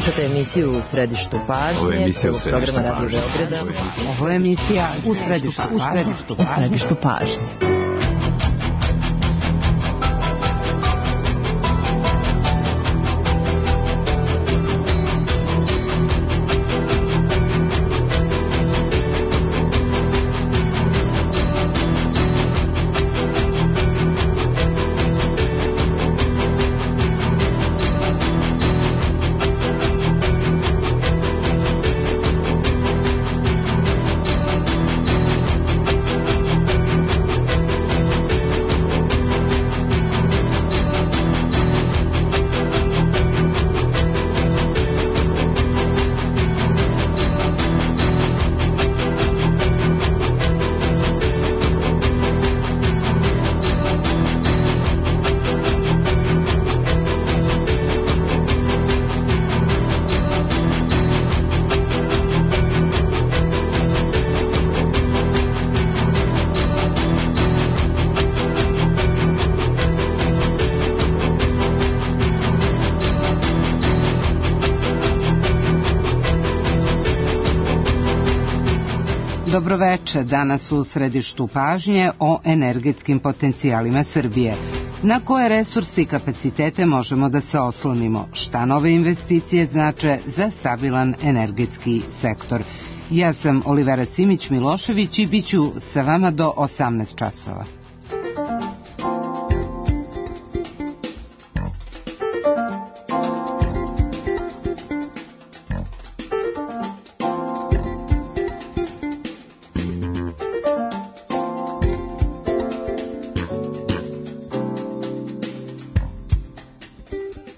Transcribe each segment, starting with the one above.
Slušate emisiju U središtu pažnje. Ovo je emisija U središtu pažnje. Ovo je emisija U središtu pažnje. Dobroveče, danas u središtu pažnje o energetskim potencijalima Srbije. Na koje resursi i kapacitete možemo da se oslonimo? Šta nove investicije znače za stabilan energetski sektor? Ja sam Olivera Simić-Milošević i bit ću sa vama do 18 časova.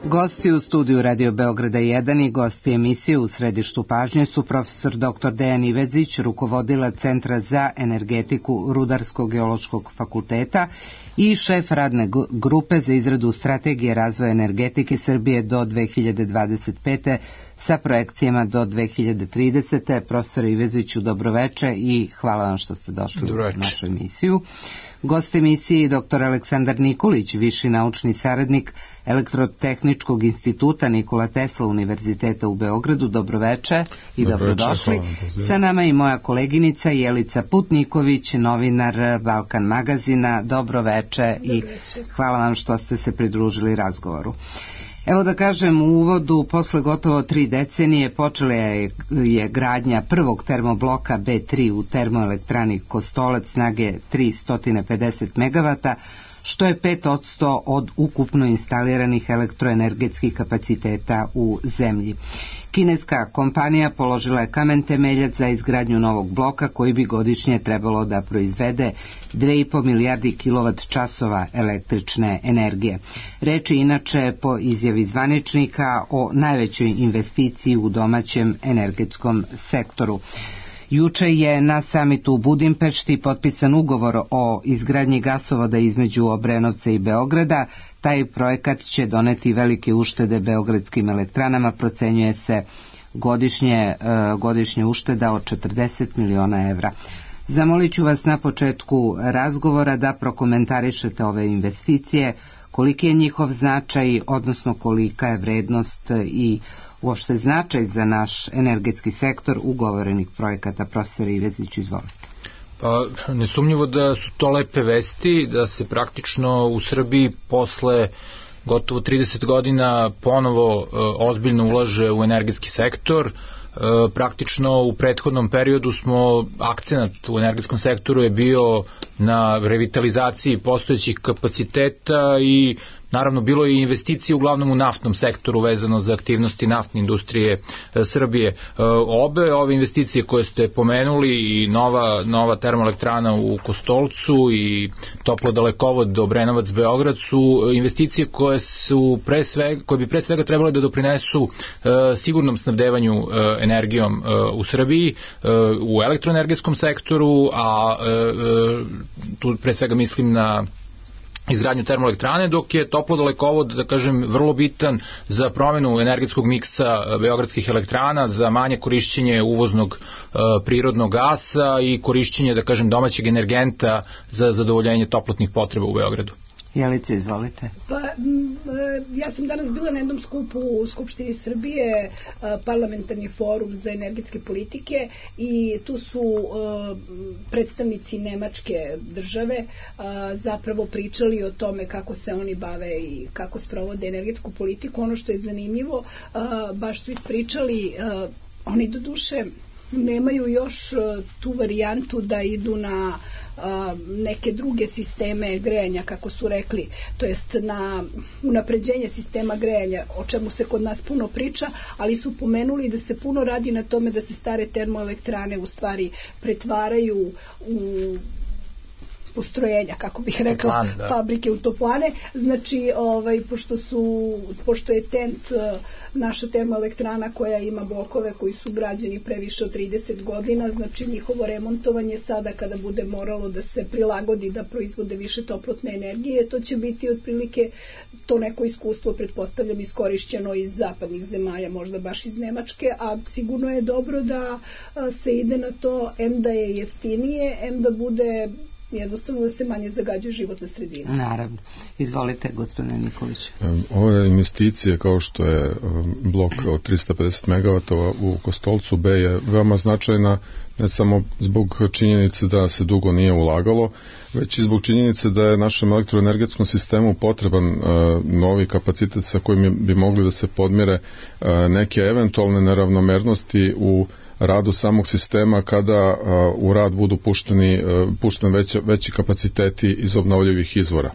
Gosti u studiju Radio Beograda 1 i gosti emisije U središtu pažnje su profesor dr. Dejan Ivezić, rukovodilac Centra za energetiku Rudarsko-geološkog fakulteta i šef radne grupe za izradu strategije razvoja energetike Srbije do 2025. sa projekcijama do 2030. Profesor Iveziću, dobroveče i hvala vam što ste došli u našu emisiju. Gost emisije je dr. Aleksandar Nikolić, viši naučni saradnik Elektrotehničkog instituta Nikola Tesla Univerziteta u Beogradu. Dobroveče i dobrodošli. Sa nama i moja koleginica Jelica Putniković, novinar Balkan magazina. Dobroveče i hvala vam što ste se pridružili razgovoru. Evo da kažem, u uvodu, posle gotovo 3 decenije počela je gradnja prvog termobloka B3 u termoelektrani Kostolac snage 350 MW, što je 5% od ukupno instaliranih elektroenergetskih kapaciteta u zemlji. Kineska kompanija položila je kamen temeljac za izgradnju novog bloka koji bi godišnje trebalo da proizvede 2,5 milijardi kWh električne energije. Reč je inače po izjavi zvaničnika o najvećoj investiciji u domaćem energetskom sektoru. Juče je na samitu u Budimpešti potpisan ugovor o izgradnji gasovoda između Obrenovca i Beograda. Taj projekat će doneti velike uštede beogradskim elektranama, procenjuje se godišnje ušteda od 40 miliona evra. Zamolit ću vas na početku razgovora da prokomentarišete ove investicije, koliki je njihov značaj, odnosno kolika je vrednost i uopšte značaj za naš energetski sektor ugovorenih projekata. Profesor Ivezić, izvolite. Pa, nesumnjivo da su to lepe vesti, da se praktično u Srbiji posle gotovo 30 godina ponovo ozbiljno ulaže u energetski sektor. Praktično u prethodnom periodu smo, akcenat u energetskom sektoru je bio na revitalizaciji postojećih kapaciteta i naravno bilo je i investicije uglavnom u naftnom sektoru vezano za aktivnosti naftne industrije Srbije. Ove investicije koje ste pomenuli i nova termoelektrana u Kostolcu i toplodalekovod do Obrenovac-Beograd su investicije koje bi pre svega trebale da doprinesu sigurnom snabdevanju energijom u Srbiji, u elektroenergetskom sektoru, a tu pre svega mislim na izgradnju termoelektrane, dok je toplodalekovod, da kažem, vrlo bitan za promenu energetskog miksa beogradskih elektrana, za manje korišćenje uvoznog prirodnog gasa i korišćenje, da kažem, domaćeg energenta za zadovoljenje toplotnih potreba u Beogradu. Jelice, izvolite. Pa, ja sam danas bila na jednom skupu u Skupštini Srbije, parlamentarni forum za energetske politike, i tu su predstavnici Nemačke države zapravo pričali o tome kako se oni bave i kako sprovode energetsku politiku. Ono što je zanimljivo, baš su ispričali, oni do duše nemaju još tu varijantu da idu na neke druge sisteme grejanja, kako su rekli, to jest na unapređenje sistema grejanja, o čemu se kod nas puno priča, ali su pomenuli da se puno radi na tome da se stare termoelektrane u stvari pretvaraju u postrojenja, kako bih rekla, fabrike u toplane. Znači, pošto je TENT naša termoelektrana koja ima blokove koji su građeni previše od 30 godina, znači njihovo remontovanje sada kada bude moralo da se prilagodi da proizvode više toplotne energije, to će biti otprilike to neko iskustvo, pretpostavljam, iskorišćeno iz zapadnih zemalja, možda baš iz Nemačke, a sigurno je dobro da se ide na to, em da je jeftinije, em da bude jednostavno da se manje zagađuje životna sredina. Naravno. Izvolite, gospodine Nikolić. Ove investicije kao što je blok od 350 MW u Kostolcu B je veoma značajna, ne samo zbog činjenice da se dugo nije ulagalo, već i zbog činjenice da je našem elektroenergetskom sistemu potreban novi kapacitet sa kojim bi mogli da se podmire neke eventualne neravnomernosti u radu samog sistema kada u rad budu pušteni veći kapaciteti iz obnovljivih izvora.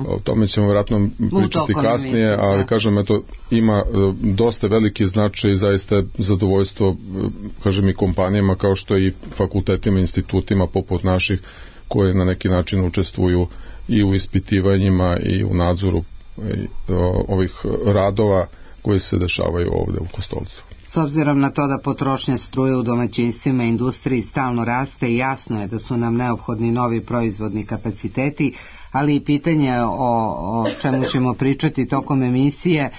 O tome ćemo vjerojatno pričati kasnije, ali kažem, eto, ima dosta veliki značaj i zaista zadovoljstvo, kažem, i kompanijama kao što i fakultetima, institutima poput naših koje na neki način učestvuju i u ispitivanjima i u nadzoru ovih radova koji se dešavaju ovde u Kostolcu. S obzirom na to da potrošnja struje u domaćinstvima i industriji stalno raste, jasno je da su nam neophodni novi proizvodni kapaciteti, ali i pitanje o čemu ćemo pričati tokom emisije,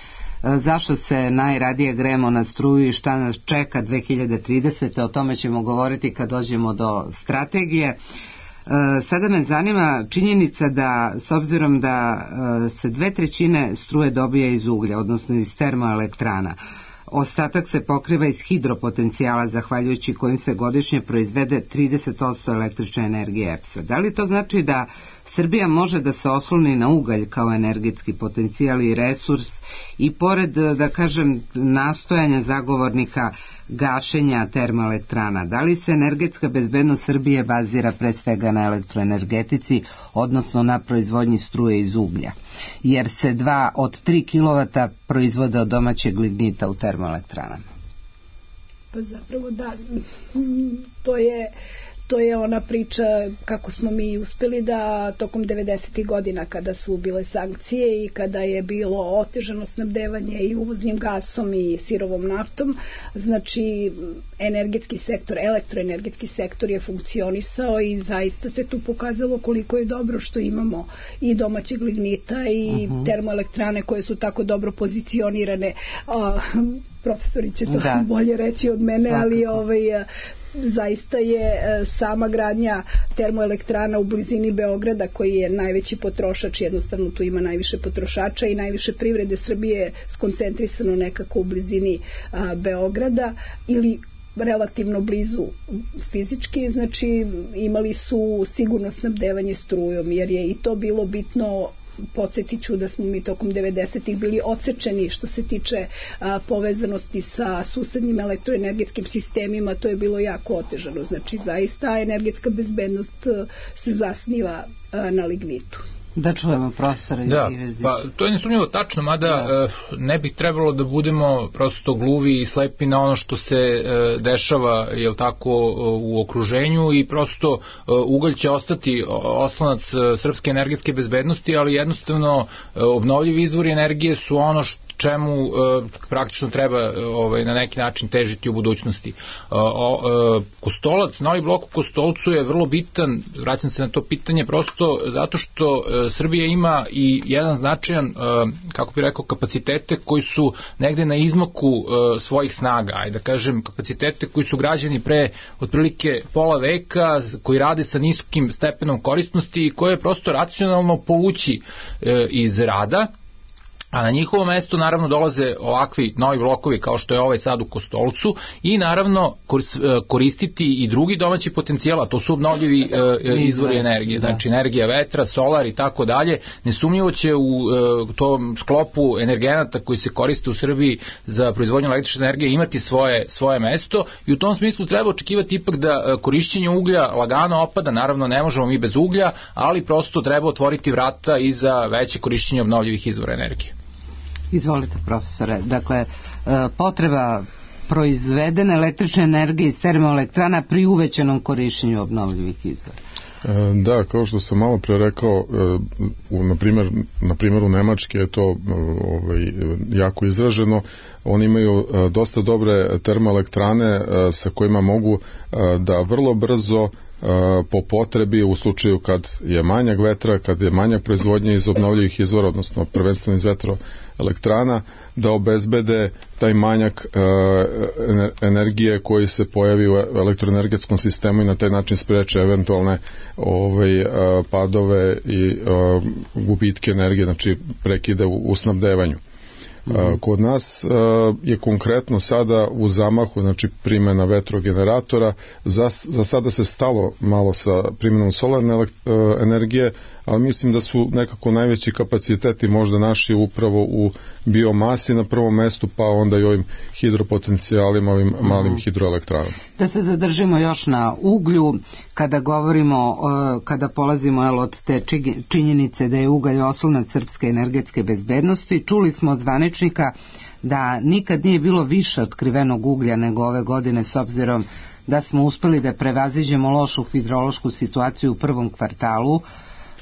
zašto se najradije grejemo na struju i šta nas čeka 2030. O tome ćemo govoriti kad dođemo do strategije. Sada me zanima činjenica da, s obzirom da se 2/3 struje dobija iz uglja, odnosno iz termoelektrana, ostatak se pokriva iz hidropotencijala, zahvaljujući kojim se godišnje proizvede 30% električne energije EPS-a. Da li to znači da Srbija može da se osloni na ugalj kao energetski potencijal i resurs i pored, da kažem, nastojanja zagovornika gašenja termoelektrana, da li se energetska bezbednost Srbije bazira pre svega na elektroenergetici, odnosno na proizvodnji struje iz uglja? Jer se 2 od 3 kW proizvode od domaćeg lignita u termoelektranama. Pa zapravo da, to je ona priča kako smo mi uspeli da tokom 90. godina kada su bile sankcije i kada je bilo otežano snabdevanje i uvoznim gasom i sirovom naftom, znači energetski sektor, elektroenergetski sektor je funkcionisao i zaista se tu pokazalo koliko je dobro što imamo i domaćeg lignita i termoelektrane koje su tako dobro pozicionirane. Profesori će to bolje reći od mene, ali zaista je sama gradnja termoelektrana u blizini Beograda, koji je najveći potrošač, jednostavno tu ima najviše potrošača i najviše privrede Srbije skoncentrisano nekako u blizini Beograda ili relativno blizu fizički, znači imali su sigurno snabdevanje strujom, jer je i to bilo bitno. Podsjetit ću da smo mi tokom 90-ih bili odsečeni što se tiče povezanosti sa susednim elektroenergetskim sistemima, to je bilo jako otežano. Znači, zaista energetska bezbednost se zasniva na lignitu. Da čujemo profesora Ivezića. Pa to je nesumnjivo tačno, mada ne bi trebalo da budemo prosto gluvi i slepi na ono što se dešava, jel tako, u okruženju i prosto ugalj će ostati oslonac srpske energetske bezbednosti, ali jednostavno obnovljivi izvori energije su ono čemu praktično treba na neki način težiti u budućnosti. Kostolac, novi blok u Kostolcu je vrlo bitan, vraćam se na to pitanje, prosto zato što Srbija ima i jedan značajan, kako bih rekao, kapacitete koji su negde na izmaku svojih snaga, ajde da kažem, kapacitete koji su građeni pre otprilike pola veka, koji rade sa niskim stepenom korisnosti i koje je prosto racionalno povući iz rada, a na njihovo mesto naravno dolaze ovakvi novi blokovi kao što je ovaj sad u Kostolcu i naravno koristiti i drugi domaći potencijal, a to su obnovljivi izvori energije, znači energija vetra, solar i tako dalje. Nesumnjivo će u tom sklopu energenata koji se koriste u Srbiji za proizvodnju električne energije imati svoje mesto i u tom smislu treba očekivati ipak da korišćenje uglja lagano opada, naravno ne možemo mi bez uglja, ali prosto treba otvoriti vrata i za veće korišćenje obnovljivih izvora energije. Izvolite, profesore. Dakle, potreba proizvedene električne energije iz termoelektrana pri uvećanom korišćenju obnovljivih izvora. Da, kao što sam malo pre rekao, na primjeru Nemačke je to jako izraženo. Oni imaju dosta dobre termoelektrane sa kojima mogu da vrlo brzo po potrebi, u slučaju kad je manjak vetra, kad je manjak proizvodnje iz obnovljivih izvora, odnosno prvenstveno iz vetroelektrana, da obezbede taj manjak energije koji se pojavi u elektroenergetskom sistemu i na taj način spreče eventualne padove i gubitke energije, znači prekide u snabdevanju. Kod nas je konkretno sada u zamahu, znači primjena vetrogeneratora, za sada se stalo malo sa primjenom solarne energije, ali mislim da su nekako najveći kapaciteti možda naši upravo u biomasi na prvom mestu, pa onda i ovim hidropotencijalima, ovim malim hidroelektranama. Da se zadržimo još na uglju, kada govorimo, kada polazimo od te činjenice da je ugalj oslonac srpske energetske bezbednosti, čuli smo od zvaničnika da nikad nije bilo više otkrivenog uglja nego ove godine, s obzirom da smo uspeli da prevaziđemo lošu hidrološku situaciju u prvom kvartalu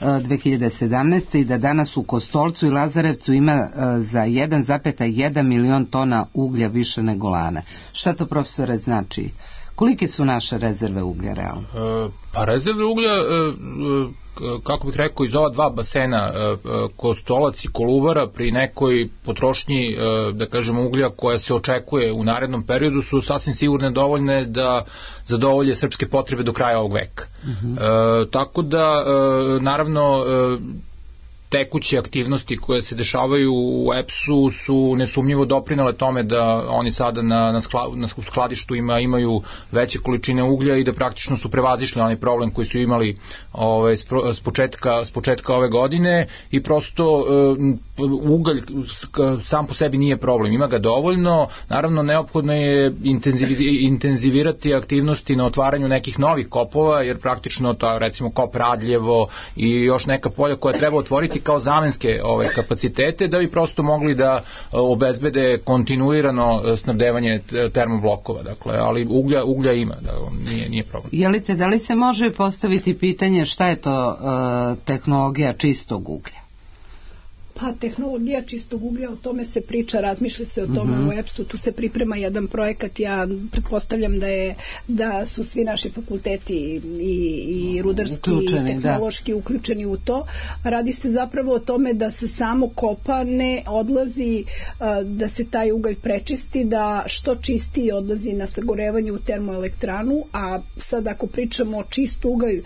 2017. i da danas u Kostolcu i Lazarevcu ima za 1,1 milion tona uglja više nego lane. Šta to, profesore, znači? Kolike su naše rezerve uglja realno? Pa rezerve uglja, kako bih rekao, iz ova dva basena, Kostolac i Kolubara, pri nekoj potrošnji, da kažemo, uglja koja se očekuje u narednom periodu, su sasvim sigurne dovoljne da zadovolje srpske potrebe do kraja ovog veka. Tako da, naravno, tekuće aktivnosti koje se dešavaju u EPS-u su nesumnjivo doprinele tome da oni sada na skladištu imaju veće količine uglja i da praktično su prevazišli onaj problem koji su imali s početka ove godine i prosto ugalj sam po sebi nije problem, ima ga dovoljno, naravno neophodno je intenzivirati aktivnosti na otvaranju nekih novih kopova, jer praktično to, recimo kop Radljevo i još neka polja koja treba otvoriti kao zamenske kapacitete da bi prosto mogli da obezbede kontinuirano snabdevanje termoblokova, dakle, ali uglja ima, da, nije problem. Jelice, da li se može postaviti pitanje šta je to tehnologija čistog uglja? Pa tehnologija čistog uglja, o tome se priča, razmišlja se o tome u EPS-u, tu se priprema jedan projekat, ja pretpostavljam da su svi naši fakulteti i rudarski i tehnološki uključeni u to. Radi se zapravo o tome da se samo kopa ne odlazi, da se taj ugalj prečisti, da što čistiji odlazi na sagorevanje u termoelektranu, a sad ako pričamo o čist ugalj,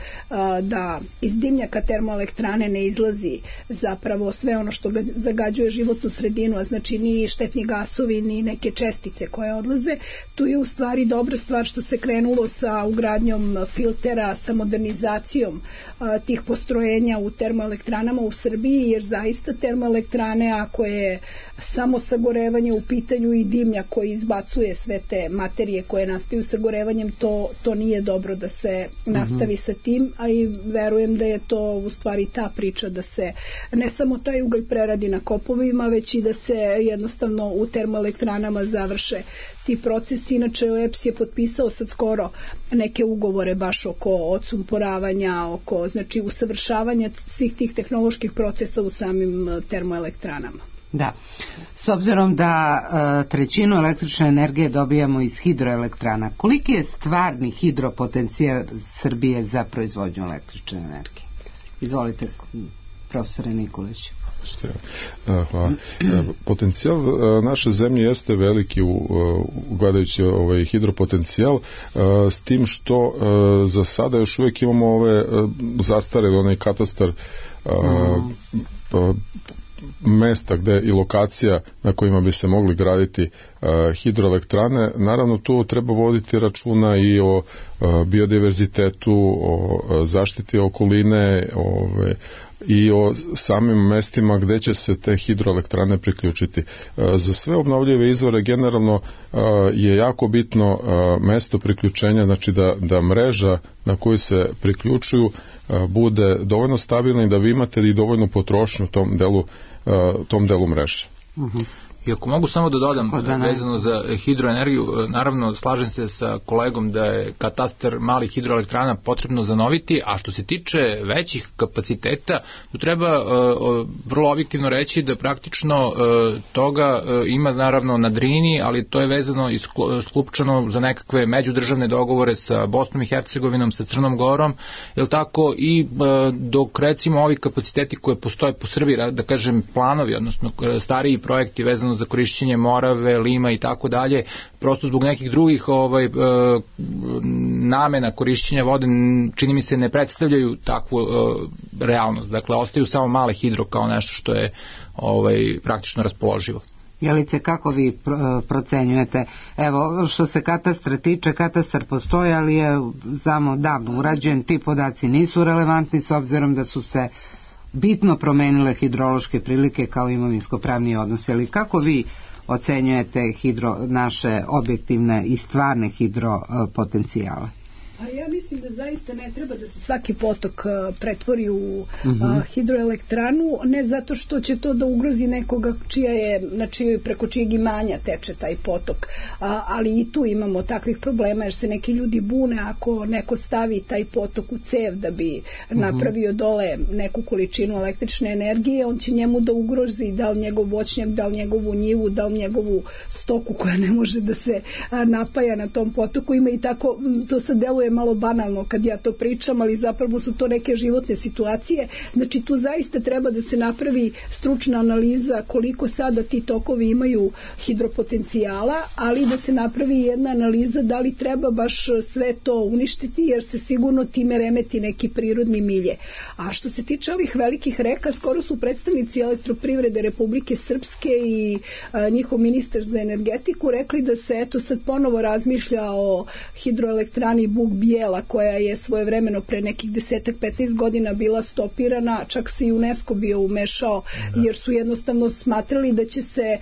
da iz dimnjaka termoelektrane ne izlazi zapravo sve ono što zagađuje životnu sredinu, a znači ni štetni gasovi, ni neke čestice koje odlaze. Tu je u stvari dobra stvar što se krenulo sa ugradnjom filtera, sa modernizacijom tih postrojenja u termoelektranama u Srbiji, jer zaista termoelektrane, ako je samo sagorevanje u pitanju i dimnjak koji izbacuje sve te materije koje nastaju sagorevanjem, to nije dobro da se nastavi sa tim, a i verujem da je to u stvari ta priča da se ne samo taj ugalj preradi na kopovima, već i da se jednostavno u termoelektranama završe ti procesi. Inače, EPS je potpisao sad skoro neke ugovore baš oko odsumporavanja, oko znači usavršavanja svih tih tehnoloških procesa u samim termoelektranama. Da. S obzirom da trećinu električne energije dobijamo iz hidroelektrana, koliki je stvarni hidropotencijal Srbije za proizvodnju električne energije? Izvolite, profesore Nikolić. Hvala. Potencijal naše zemlje jeste veliki gledajući hidropotencijal, s tim što za sada još uvijek imamo ove zastarele, onaj katastar mesta gde i lokacija na kojima bi se mogli graditi hidroelektrane. Naravno, tu treba voditi računa i o biodiverzitetu, o zaštiti okoline, i o samim mestima gde će se te hidroelektrane priključiti. Za sve obnovljive izvore generalno je jako bitno mesto priključenja, znači da mreža na koju se priključuju bude dovoljno stabilna i da vi imate i dovoljnu potrošnju tom delu mreže. I ako mogu samo da dodam vezano za hidroenergiju, naravno slažem se sa kolegom da je katastar malih hidroelektrana potrebno zanoviti, a što se tiče većih kapaciteta, tu treba vrlo objektivno reći da praktično toga ima naravno na Drini, ali to je vezano i sklupčano za nekakve međudržavne dogovore sa Bosnom i Hercegovinom, sa Crnom Gorom, jel tako, i dok recimo ovi kapaciteti koje postoje po Srbiji, da kažem planovi, odnosno stariji projekti vezano za korišćenje Morave, Lima i tako dalje, prosto zbog nekih drugih namena korišćenja vode, čini mi se ne predstavljaju takvu realnost. Dakle, ostaju samo male hidro kao nešto što je praktično raspoloživo. Jelice, kako vi procenjujete? Evo, što se katastra tiče, katastar postoji, ali je znamo davno urađen, ti podaci nisu relevantni s obzirom da su se bitno promenile hidrološke prilike kao imovinsko-pravni odnos. Ali kako vi ocenjujete naše objektivne i stvarne hidropotencijale? A ja mislim da zaista ne treba da se svaki potok pretvori u hidroelektranu, ne zato što će to da ugrozi nekoga preko čijeg imanja teče taj potok, ali i tu imamo takvih problema jer se neki ljudi bune ako neko stavi taj potok u cev da bi napravio dole neku količinu električne energije, on će njemu da ugrozi da li njegov voćnjak, da li njegovu njivu, da li njegovu stoku koja ne može da se napaja na tom potoku. Ima i tako, to sad deluje malo banalno kad ja to pričam, ali zapravo su to neke životne situacije. Znači tu zaista treba da se napravi stručna analiza koliko sada ti tokovi imaju hidropotencijala, ali da se napravi jedna analiza da li treba baš sve to uništiti, jer se sigurno time remeti neki prirodni milje. A što se tiče ovih velikih reka, skoro su predstavnici Elektroprivrede Republike Srpske i njihov ministar za energetiku rekli da se eto sad ponovo razmišlja o hidroelektrani Buk Bijela, koja je svojevremeno pre nekih 10-15 godina bila stopirana, čak se i UNESCO bio umešao, jer su jednostavno smatrali da će se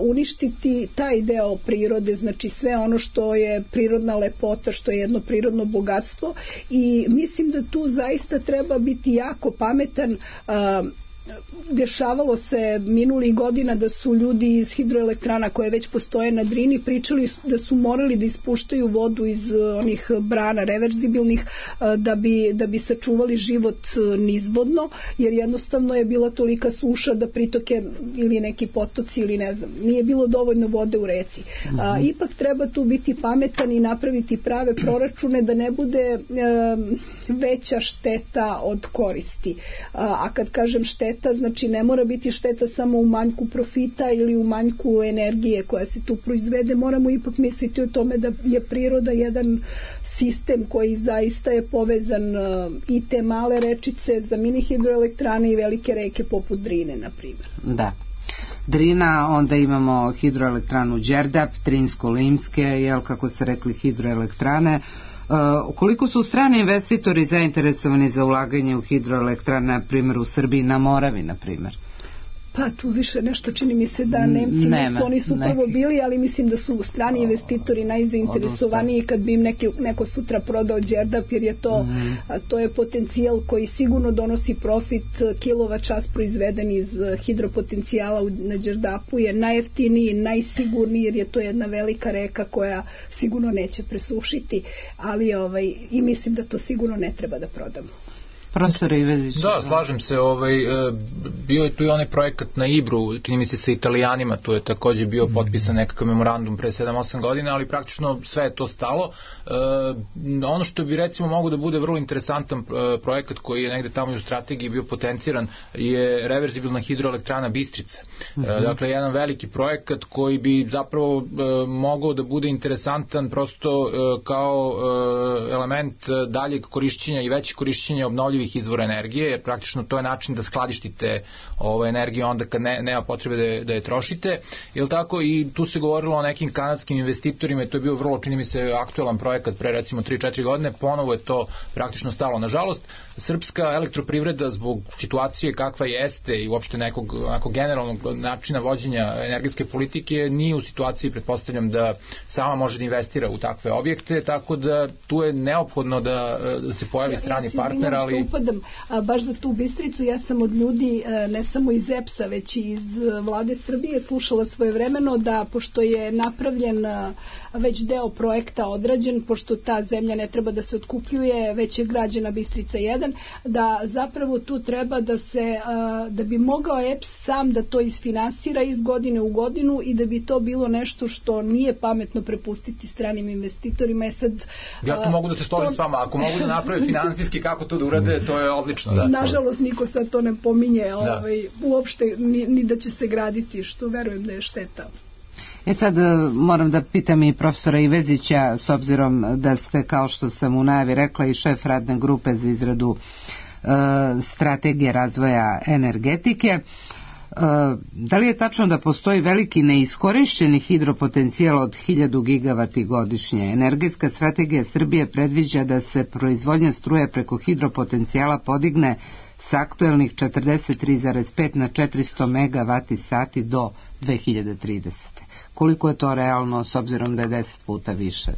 uništiti taj deo prirode, znači sve ono što je prirodna lepota, što je jedno prirodno bogatstvo, i mislim da tu zaista treba biti jako pametan. Dešavalo se minulih godina da su ljudi iz hidroelektrana koje već postoje na Drini pričali da su morali da ispuštaju vodu iz onih brana reverzibilnih da bi sačuvali život nizvodno, jer jednostavno je bila tolika suša da pritoke ili neki potoci ili ne znam, nije bilo dovoljno vode u reci. Ipak treba tu biti pametan i napraviti prave proračune da ne bude veća šteta od koristi. A kad kažem šteta, znači ne mora biti šteta samo u manjku profita ili u manjku energije koja se tu proizvede, moramo ipak misliti o tome da je priroda jedan sistem koji zaista je povezan, i te male rečice za mini hidroelektrane i velike reke poput Drine, na primjer. Da. Drina, onda imamo hidroelektranu Đerdap, Drinsko-Limske, kako ste rekli, hidroelektrane. Koliko su strani investitori zainteresovani za ulaganje u hidroelektrane, na primjer u Srbiji, na Moravi, na primjer? Pa tu više nešto čini mi se da Nemci oni su prvo bili, ali mislim da su strani investitori najzainteresovaniji kad bi im neko sutra prodao Đerdap, jer je to je potencijal koji sigurno donosi profit. Kilovat čas proizveden iz hidropotencijala na Đerdapu je najjeftiniji, najsigurniji, jer je to jedna velika reka koja sigurno neće presušiti, ali i mislim da to sigurno ne treba da prodamo. Profesor Ivezić. Da, slažem se, bio je tu i onaj projekat na Ibru, čini mi se sa Italijanima, tu je takođe bio potpisan nekakav memorandum pre 7-8 godina, ali praktično sve je to stalo. Ono što bi recimo mogo da bude vrlo interesantan projekat koji je negde tamo u strategiji bio potenciran je reverzibilna hidroelektrana Bistrica. Dakle, jedan veliki projekat koji bi zapravo mogao da bude interesantan prosto kao element daljeg korišćenja i veće korišćenja obnovljivih izvora energije, jer praktično to je način da skladištite energiju onda kad nema potrebe da je trošite. Jel tako? I tu se govorilo o nekim kanadskim investitorima i to je bio vrlo, čini mi se, aktuelan projekat pre recimo 3-4 godine, ponovo je to praktično stalo. Nažalost, srpska elektroprivreda zbog situacije kakva jeste i uopšte nekog generalnog načina vođenja energetske politike nije u situaciji, pretpostavljam, da sama može da investira u takve objekte, tako da tu je neophodno da se pojavi strani partner, ali... Baš za tu Bistricu, ja sam od ljudi, ne samo iz EPS-a, već i iz vlade Srbije, slušala svojevremeno da, pošto je napravljen već deo projekta odrađen, pošto ta zemlja ne treba da se otkupljuje, već je građena Bistrica 1, da zapravo tu treba da bi mogao EPS sam da to isfinansira iz godine u godinu i da bi to bilo nešto što nije pametno prepustiti stranim investitorima. Ja tu mogu da se složim s vama, ako mogu da naprave finansijski kako to da urade, to je odlično. Nažalost, niko sad to ne pominje uopšte, ni da će se graditi, što verujem da je šteta. Sad moram da pitam i profesora Ivezića, s obzirom da ste, kao što sam u najavi rekla, i šef radne grupe za izradu strategije razvoja energetike. Da li je tačno da postoji veliki neiskorišćeni hidropotencijal od 1000 gigavati godišnje? Energetska strategija Srbije predviđa da se proizvodnja struje preko hidropotencijala podigne s aktuelnih 43,5 na 400 megavati sati do 2030. Koliko je to realno s obzirom da je 10 puta više?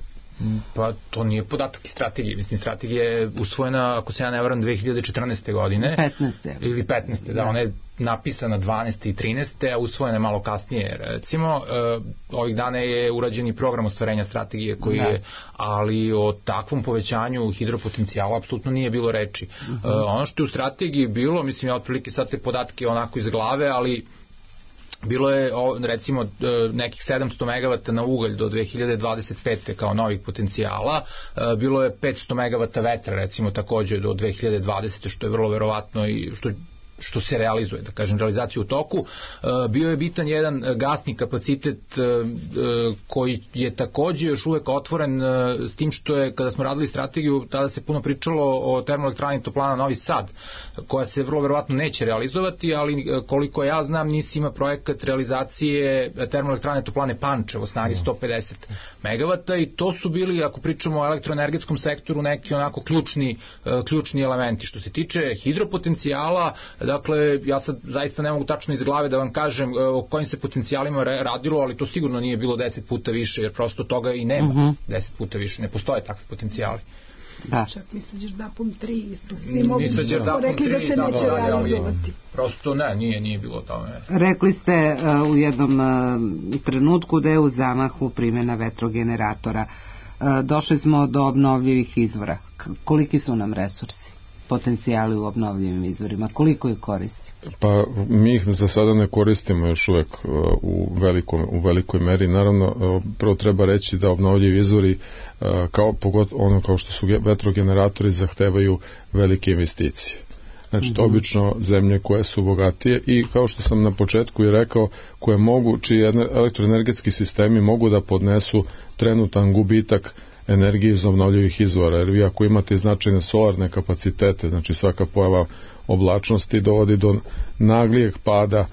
Pa to nije podatak iz strategije. Mislim, strategija je usvojena, ako se ja ne varam, 2014. godine. 15. Ili 15. Da, ona je napisana 12. i 13. a usvojena je malo kasnije, recimo. Ovih dana je urađen i program ostvarenja strategije koji je, ali o takvom povećanju hidropotencijala apsolutno nije bilo reči. Ono što je u strategiji bilo, mislim, ja otprilike sad te podatke onako iz glave, ali bilo je recimo nekih 700 megavata na ugalj do 2025. kao novih potencijala, bilo je 500 megavata vetra recimo takođe do 2020. što je vrlo verovatno i što se realizuje, da kažem, realizaciju u toku. Bio je bitan jedan gasni kapacitet koji je takođe još uvek otvoren, s tim što je, kada smo radili strategiju, tada se puno pričalo o termoelektrani Toplana Novi Sad, koja se vrlo verovatno neće realizovati, ali koliko ja znam, NIS ima projekat realizacije termoelektrane Toplane Pančevo snage 150 megavata i to su bili, ako pričamo o elektroenergetskom sektoru, neki onako ključni elementi. Što se tiče hidropotencijala, dakle, ja sad zaista ne mogu tačno iz glave da vam kažem o kojim se potencijalima radilo, ali to sigurno nije bilo 10 puta više, jer prosto toga i nema 10 puta više, ne postoje takvi potencijali. Da. Čak mi sad ćeš DAPom 3 sa svim ovim što smo rekli da se neće realizovati. Prosto nije bilo tome. Rekli ste u jednom trenutku da je u zamahu primjena vetrogeneratora. Došli smo do obnovljivih izvora. Koliki su nam resursi, potencijali u obnovljivim izvorima? Koliko ih koristi? Pa mi ih za sada ne koristimo još uvek u velikoj meri. Naravno, prvo treba reći da obnovljivi izvori kao što su vetrogeneratori zahtevaju velike investicije. Znači, to obično zemlje koje su bogatije i, kao što sam na početku i rekao, čiji elektroenergetski sistemi mogu da podnesu trenutan gubitak energije iz obnovljivih izvora, jer vi ako imate značajne solarne kapacitete, znači svaka pojava oblačnosti dovodi do naglijeg pada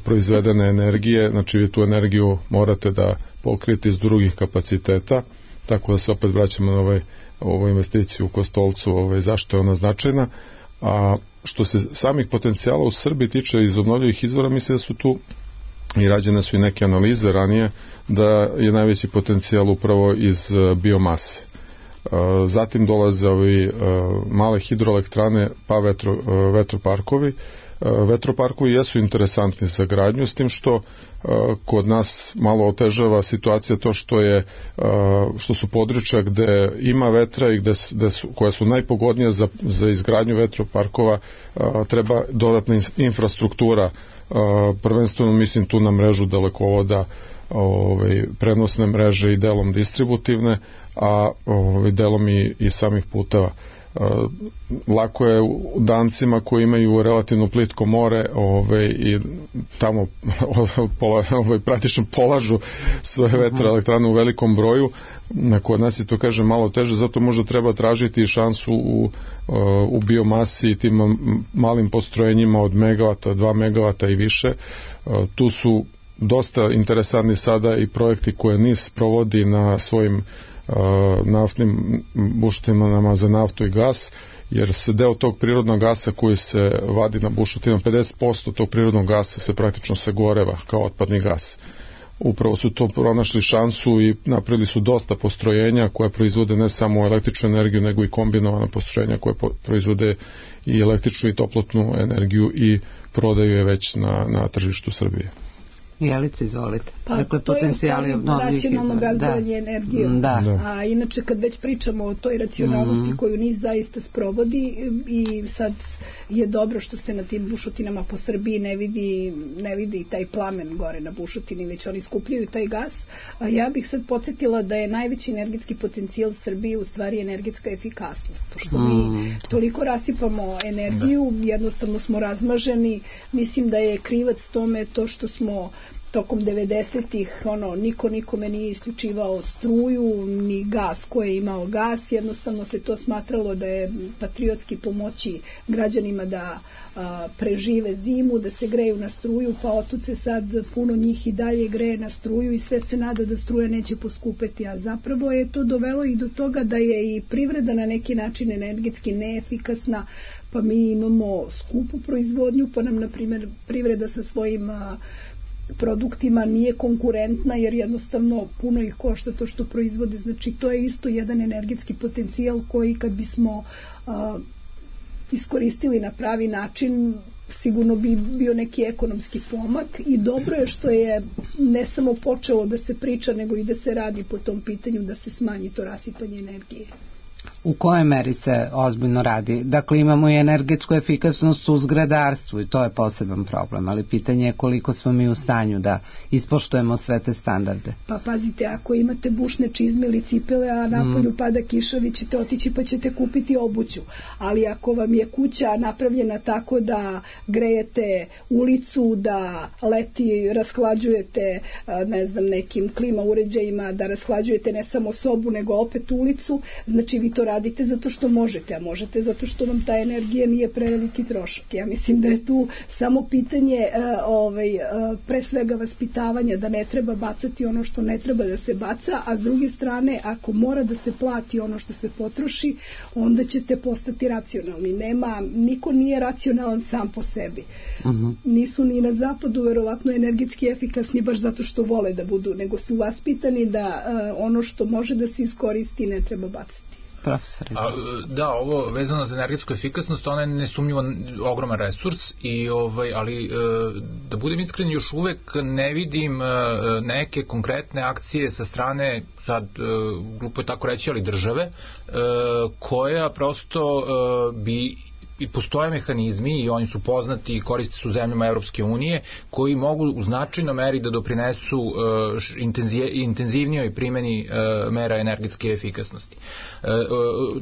proizvedene energije, znači vi tu energiju morate da pokrijete iz drugih kapaciteta, tako da se opet vraćamo na ovu investiciju u Kostolcu, zašto je ona značajna. A što se samih potencijala u Srbiji tiče iz obnovljivih izvora, mislim da su tu i rađene su i neke analize ranije, da je najveći potencijal upravo iz biomase. Zatim dolaze male hidroelektrane pa vetroparkovi, vetroparkovi jesu interesantni za gradnju, s tim što kod nas malo otežava situacija to što su područja gde ima vetra i koja su najpogodnija za izgradnju vetroparkova, treba dodatna infrastruktura, prvenstveno mislim tu na mrežu dalekovoda, prenosne mreže i delom distributivne, a delom i samih puteva. Lako je Dancima koji imaju relativno plitko more i tamo praktično polažu svoje vetroelektrane u velikom broju. Kod nas je to, kažem, malo teže, zato možda treba tražiti šansu u biomasi i tim malim postrojenjima od megavata, 2 megavata i više. Tu su dosta interesantni sada i projekti koje NIS provodi na svojim naftnim bušotinama za naftu i gas, jer se deo tog prirodnog gasa koji se vadi na bušotinama, 50% tog prirodnog gasa se praktično sagoreva kao otpadni gas. Upravo su to pronašli šansu i napravili su dosta postrojenja koje proizvode ne samo električnu energiju, nego i kombinovana postrojenja koje proizvode i električnu i toplotnu energiju i prodaju je već na tržištu Srbije. Jelice, izvolite. Dakle, to je racionalno gazdovanje energijom. A inače, kad već pričamo o toj racionalnosti koju NIS zaista sprovodi, i sad je dobro što se na tim bušotinama po Srbiji ne vidi taj plamen gore na bušotini, već oni skupljaju taj gas. A ja bih sad podsjetila da je najveći energetski potencijal Srbije u stvari energetska efikasnost. Pošto mi toliko rasipamo energiju, jednostavno smo razmaženi. Mislim da je krivac tome to što smo tokom 90-ih niko nikome nije isključivao struju ni gas ko je imao gas, jednostavno se to smatralo da je patriotski pomoći građanima da prežive zimu, da se greju na struju, pa otud se sad puno njih i dalje greje na struju i sve se nada da struja neće poskupeti, a zapravo je to dovelo i do toga da je i privreda na neki način energetski neefikasna, pa mi imamo skupu proizvodnju, pa nam na primjer privreda sa svojim produktima nije konkurentna jer jednostavno puno ih košta to što proizvode. Znači to je isto jedan energetski potencijal koji kad bismo iskoristili na pravi način sigurno bi bio neki ekonomski pomak i dobro je što je ne samo počelo da se priča nego i da se radi po tom pitanju da se smanji to rasipanje energije. U kojoj meri se ozbiljno radi? Dakle, imamo i energetsku efikasnost u zgradarstvu i to je poseban problem, ali pitanje je koliko smo mi u stanju da ispoštujemo sve te standarde. Pa pazite, ako imate bušne čizme ili cipele, a napolju pada kiša, vi ćete otići pa ćete kupiti obuću. Ali ako vam je kuća napravljena tako da grejete ulicu, da leti rashlađujete nekim klima uređajima, da rashlađujete ne samo sobu nego opet ulicu, znači vi to radite zato što možete, a možete zato što vam ta energija nije preveliki trošak. Ja mislim da je tu samo pitanje pre svega vaspitavanja, da ne treba bacati ono što ne treba da se baca, a s druge strane, ako mora da se plati ono što se potroši, onda ćete postati racionalni. Niko nije racionalan sam po sebi. Nisu ni na zapadu verovatno energetski efikasni baš zato što vole da budu, nego su vaspitani da ono što može da se iskoristi ne treba bacati. Da, ovo vezano za energetsku efikasnost, ona je nesumnjivo ogroman resurs, ali da budem iskren, još uvek ne vidim neke konkretne akcije sa strane, sad glupo je tako reći, ali države, koja prosto bi i postoje mehanizmi i oni su poznati i koriste su zemljama Evropske unije koji mogu u značajnoj meri da doprinesu intenzivnijoj primjeni mera energetske efikasnosti.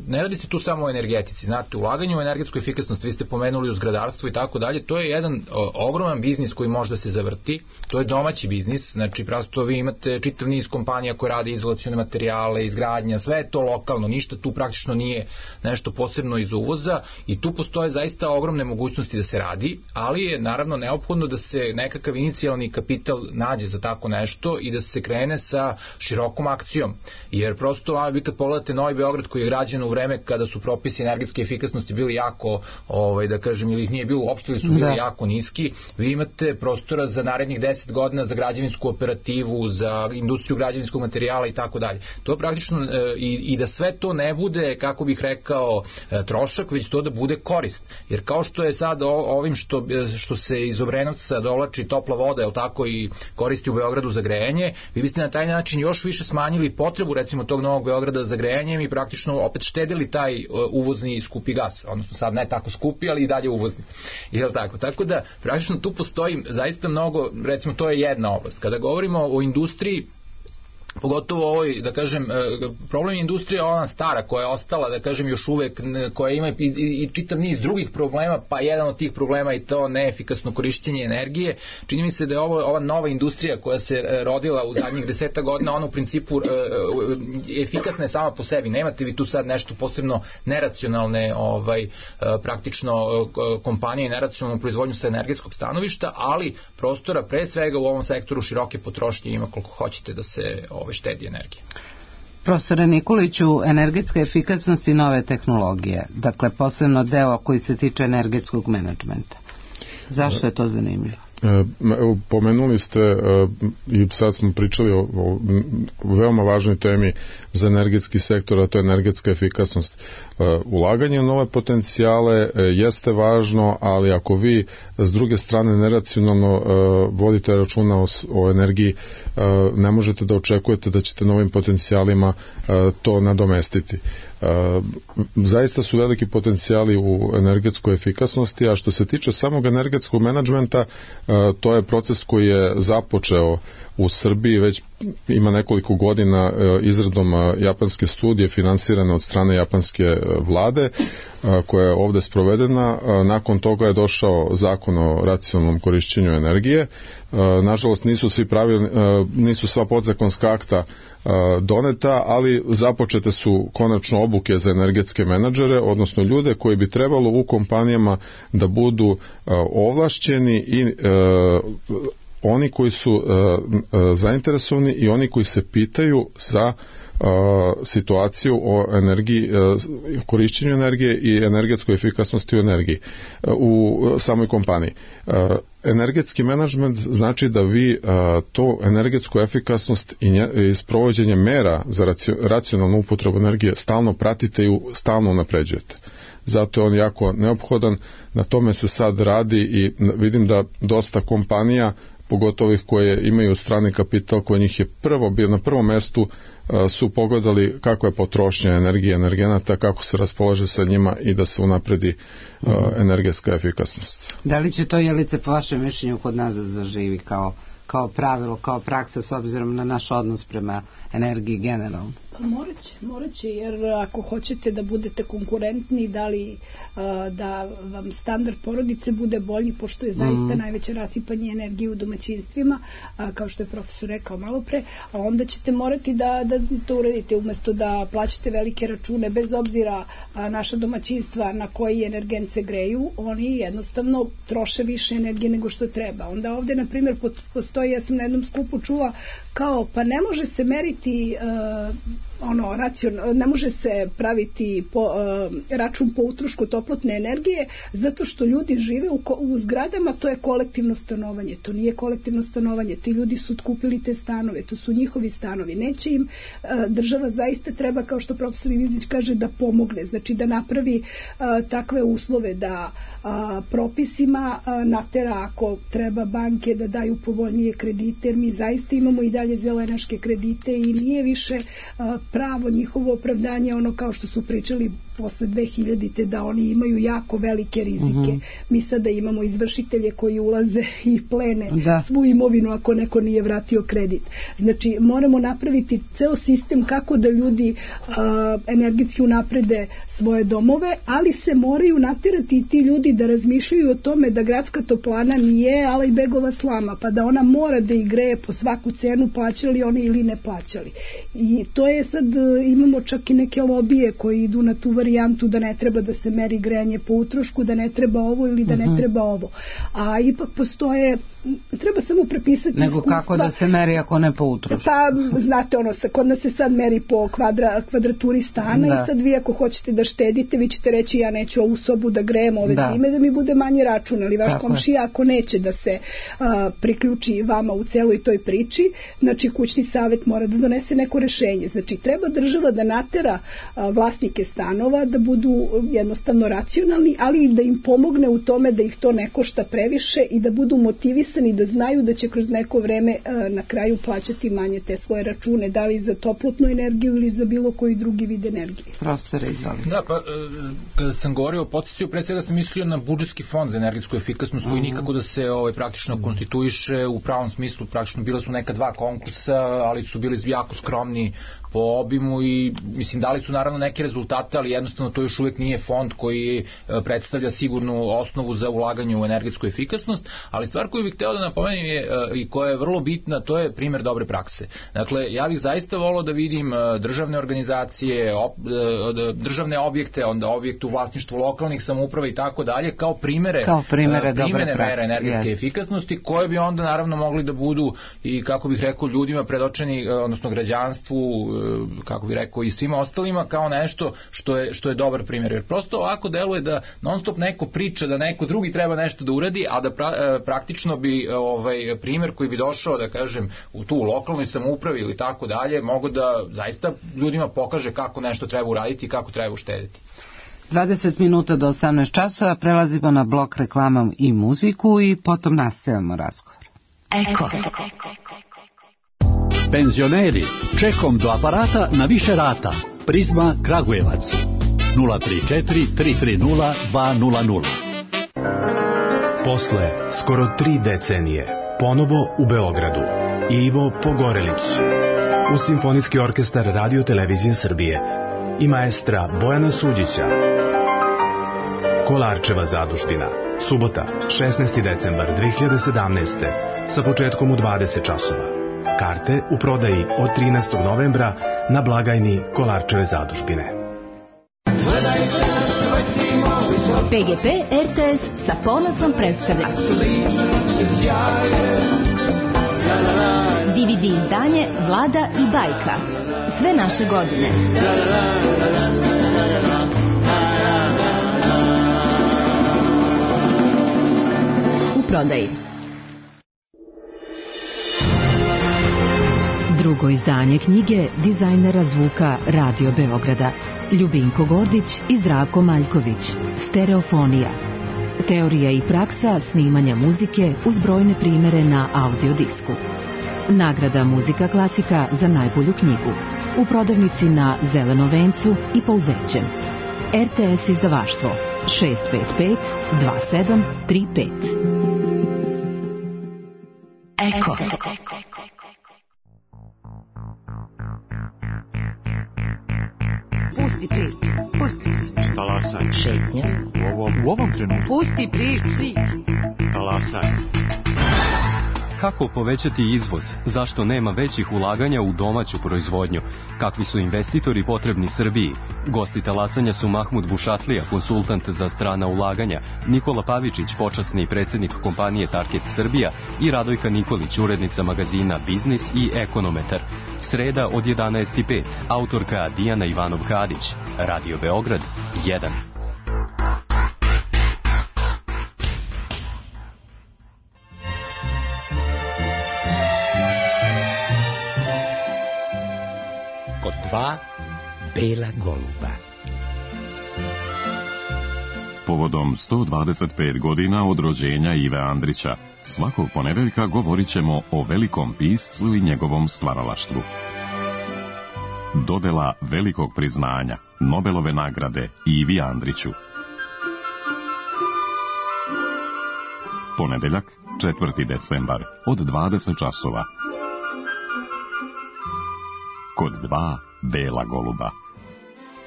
Ne radi se tu samo o energetici, znate, ulaganje u energetsku efikasnost, vi ste pomenuli u zgradarstvo i tako dalje, to je jedan ogroman biznis koji može da se zavrti, to je domaći biznis, znači prosto vi imate čitav niz kompanija koje rade izolacione materijale, izgradnja, sve je to lokalno, ništa tu praktično nije nešto posebno iz uvoza i tu postoje zaista ogromne mogućnosti da se radi, ali je naravno neophodno da se nekakav inicijalni kapital nađe za tako nešto i da se krene sa širokom akcijom, jer prosto vi kad pogledate Novi Beograd koji je građen u vreme kada su propisi energetske efikasnosti bili jako, da kažem, ili ih nije bilo uopšte ili su bili jako niski, vi imate prostora za narednih 10 godina za građevinsku operativu, za industriju građevinskog materijala i tako dalje. To je praktično i da sve to ne bude, kako bih rekao, trošak, već to da bude korisno. korist. Jer kao što je sad ovim što se iz Obrenovca dovlači topla voda, jel tako, i koristi u Beogradu za grejanje, vi biste na taj način još više smanjili potrebu recimo tog Novog Beograda za grejanjem i praktično opet štedili taj uvozni skupi gas, odnosno sad ne tako skupi, ali i dalje uvozni. Jel tako? Tako da praktično tu postoji zaista mnogo, recimo to je jedna oblast. Kada govorimo o industriji, pogotovo ovoj, da kažem, problem industrija ona stara koja je ostala, da kažem, još uvek, koja ima i čitav niz drugih problema, pa jedan od tih problema je to neefikasno korišćenje energije. Čini mi se da je ova nova industrija koja se rodila u zadnjih 10 godina, ona u principu efikasna je sama po sebi. Nemate vi tu sad nešto posebno neracionalne praktično kompanije i neracionalnu proizvodnju sa energetskog stanovišta, ali prostora pre svega u ovom sektoru široke potrošnje ima koliko hoćete da se štedi energije. Profesore Nikoliću, energetska efikasnost i nove tehnologije, dakle posebno deo koji se tiče energetskog menadžmenta. Zašto je to zanimljivo? Pomenuli ste i sad smo pričali o veoma važnoj temi za energetski sektor, a to je energetska efikasnost. Ulaganje u nove potencijale jeste važno, ali ako vi s druge strane neracionalno vodite računa o energiji, ne možete da očekujete da ćete novim potencijalima to nadomestiti. Zaista su veliki potencijali u energetskoj efikasnosti, a što se tiče samog energetskog menadžmenta, to je proces koji je započeo u Srbiji, već ima nekoliko godina izradom japanske studije finansirane od strane japanske vlade, koja je ovde sprovedena. Nakon toga je došao zakon o racionalnom korišćenju energije. Nažalost nisu sva podzakonska akta doneta, ali započete su konačno obuke za energetske menadžere, odnosno ljude koji bi trebalo u kompanijama da budu ovlašćeni i oni koji su zainteresovani i oni koji se pitaju za situaciju o energiji, korišćenju energije i energetskoj efikasnosti u energiji u samoj kompaniji. Energetski menadžment znači da vi to energetsku efikasnost i sprovođenje mera za racionalnu upotrebu energije stalno pratite i stalno unapređujete. Zato je on jako neophodan, na tome se sad radi i vidim da dosta kompanija, pogotovo ih koje imaju strani kapital, koji njih je bio na prvom mestu, su pogledali kakva je potrošnja energije, energenata, kako se raspolaže sa njima i da se unapredi energetska efikasnost. Da li će to, Jelice, po vašem mišljenju kod nas da zaživi kao pravilo, kao praksa s obzirom na naš odnos prema energiji generalno? Morat će, jer ako hoćete da budete konkurentni, da vam standard porodice bude bolji, pošto je zaista najveće rasipanje energije u domaćinstvima, kao što je profesor rekao malo pre, a onda ćete morati da to uradite, umesto da plaćate velike račune, bez obzira naša domaćinstva na koji energent se greju, oni jednostavno troše više energije nego što treba. Onda ovde, na primjer, postoji, ja sam na jednom skupu čula, kao, pa ne može se meriti ne može se praviti račun po utrošku toplotne energije, zato što ljudi žive u zgradama, to je kolektivno stanovanje. To nije kolektivno stanovanje, ti ljudi su otkupili te stanove, to su njihovi stanovi. Neće im, država zaista treba, kao što profesor Ivizić kaže, da pomogne, znači da napravi takve uslove, da propisima natera, ako treba, banke da daju povoljnije kredite, jer mi zaista imamo i dalje zelenaške kredite i nije više pravo njihovo opravdanje, ono kao što su pričali posle 2000-te, da oni imaju jako velike rizike. Mi sada imamo izvršitelje koji ulaze i plene svu imovinu ako neko nije vratio kredit. Znači, moramo napraviti ceo sistem kako da ljudi energetski unaprede svoje domove, ali se moraju naterati i ti ljudi da razmišljaju o tome da gradska toplana nije Alajbegova slama, pa da ona mora da ih greje po svaku cenu, plaćali oni ili ne plaćali. I to je sad, imamo čak i neke lobije koji idu na tu varijantu da ne treba da se meri grejanje po utrošku, da ne treba ovo ili da ne treba ovo. A ipak postoje, treba samo prepisati nego iskustva. Kako da se meri ako ne po utrošku? Pa, znate, kod nas se sad meri po kvadraturi stana i sad vi ako hoćete da štedite, vi ćete reći ja neću ovu sobu da grejem ove zime da mi bude manje račun, ali vaš komšija ako neće da se priključi vama u celoj toj priči, znači kućni savet mora da donese neko rešenje. Znači, treba država da natera vlasnike stanova sredstava, da budu jednostavno racionalni, ali i da im pomogne u tome da ih to ne košta previše i da budu motivisani, da znaju da će kroz neko vreme na kraju plaćati manje te svoje račune, da li za toplotnu energiju ili za bilo koji drugi vid energije. Profesore, izvolite. Da, pa kada sam govorio o podsticaju, pre svega sam mislio na budžetski fond za energetsku efikasnost koji nikako da se praktično konstituiše u pravom smislu, praktično bila su neka 2 konkursa, ali su bili jako skromni po obimu i mislim dali su naravno neke rezultate, ali jednostavno to još uvijek nije fond koji predstavlja sigurnu osnovu za ulaganje u energetsku efikasnost, ali stvar koju bih hteo da napomenem je i koja je vrlo bitna, to je primer dobre prakse. Dakle, ja bih zaista volao da vidim državne organizacije, državne objekte, onda objekte u vlasništvu lokalnih samouprava i tako dalje, kao primere mere energetske efikasnosti, koje bi onda naravno mogli da budu i, kako bih rekao, ljudima predočeni, odnosno građanstvu, kako bih rekao, i svima ostalima kao nešto što je dobar primjer. Jer prosto ovako deluje da non stop neko priča da neko drugi treba nešto da uradi, a da praktično bi primjer koji bi došao, da kažem, u tu lokalnoj samoupravi ili tako dalje, mogo da zaista ljudima pokaže kako nešto treba uraditi i kako treba uštediti. 20 minuta do 18 časova, prelazimo na blok reklamom i muziku i potom nastavljamo razgovor. Eko. Penzioneri, čekom do aparata na više rata. Prizma Kragujevac 034 330 200. Posle skoro 3 decenije, ponovo u Beogradu, Ivo Pogorelić u Simfonijski orkestar Radio Televizije Srbije i maestra Bojana Suđića. Kolarčeva zadužbina, subota, 16. decembar 2017. sa početkom u 20 časova. Karte u prodaji od 13. novembra na blagajni Kolarčeve zadužbine. PGP RTS sa ponosom predstavlja DVD izdanje Vlada i bajka. Sve naše godine. U prodaji. Drugo izdanje knjige dizajnera zvuka Radio Beograda Ljubinko Gordić i Zdravko Maljković. Stereofonija. Teorija i praksa snimanja muzike uz brojne primere na audiodisku. Nagrada Muzika klasika za najbolju knjigu. U prodavnici na Zelenom vencu i Pouzećem. RTS izdavaštvo 655 2735. Eko. Pusti priču, pusti priču. Talasaj. Šetnja. U ovom trenutku. Pusti priču. Talasaj. Kako povećati izvoz? Zašto nema većih ulaganja u domaću proizvodnju? Kakvi su investitori potrebni Srbiji? Gosti talasanja su Mahmud Bušatlija, konsultant za strana ulaganja, Nikola Pavičić, počasni predsjednik kompanije Target Srbija i Radojka Nikolić, urednica magazina Biznis i Ekonometar. Sreda od 11:05. Autorka Dijana Ivanov-Kadić. Radio Beograd 1. Kod 2 bela goluba. Povodom 125 godina od rođenja Ive Andrića, svakog ponedeljka govorit ćemo o velikom piscu i njegovom stvaralaštvu. Dodela velikog priznanja, Nobelove nagrade Ivi Andriću. Ponedeljak, 4. decembar, od 20 časova. Kod 2 bela goluba.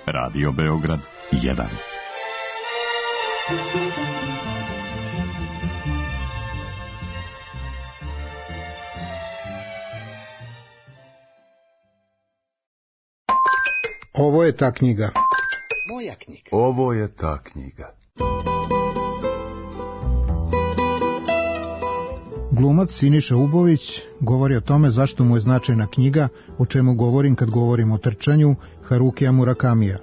Radio Beograd 1. Ovo je ta knjiga. Moja knjiga. Ovo je ta knjiga. Glumac Siniša Ubović govori o tome zašto mu je značajna knjiga, o čemu govorim kad govorim o trčanju, Harukija Murakamija.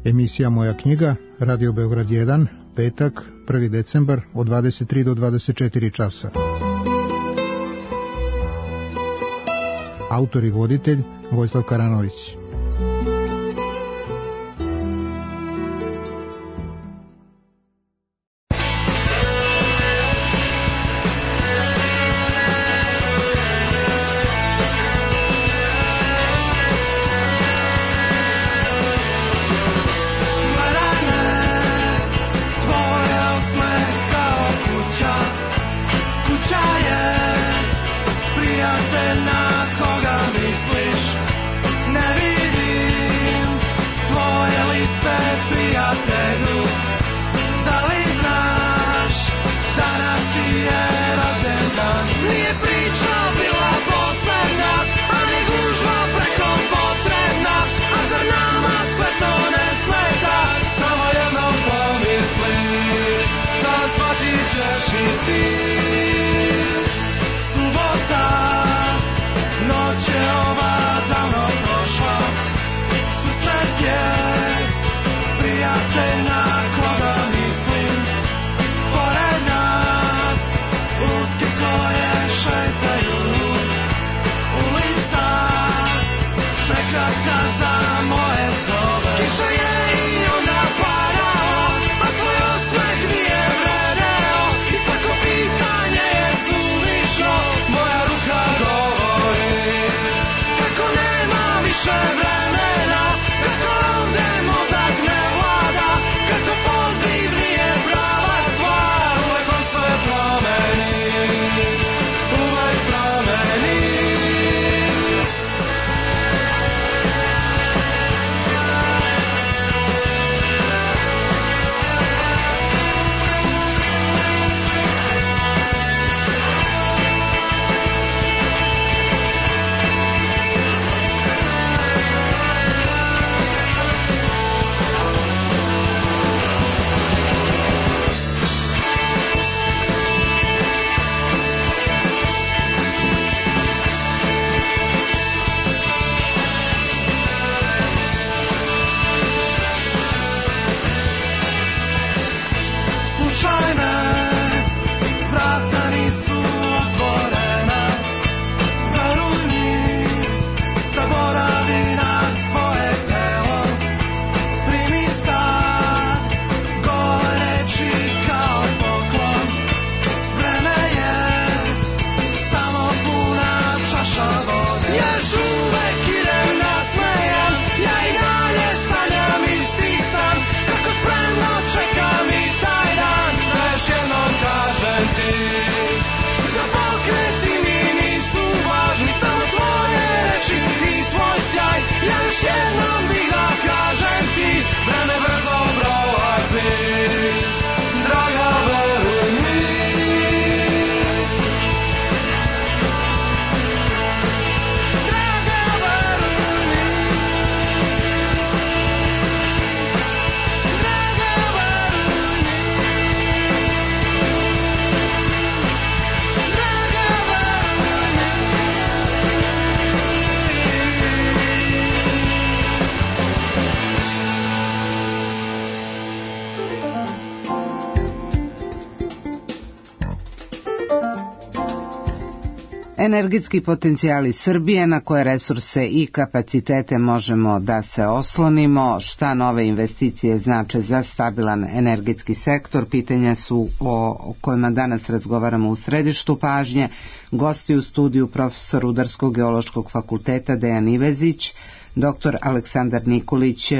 Emisija Moja knjiga, Radio Beograd 1, petak, 1. decembar, od 23 do 24 časa. Autor i voditelj Vojislav Karanović. Energetski potencijali Srbije, na koje resurse i kapacitete možemo da se oslonimo, šta nove investicije znače za stabilan energetski sektor, pitanja su o kojima danas razgovaramo u središtu pažnje. Gosti u studiju profesor Rudarsko-geološkog fakulteta Dejan Ivezić, dr. Aleksandar Nikolić,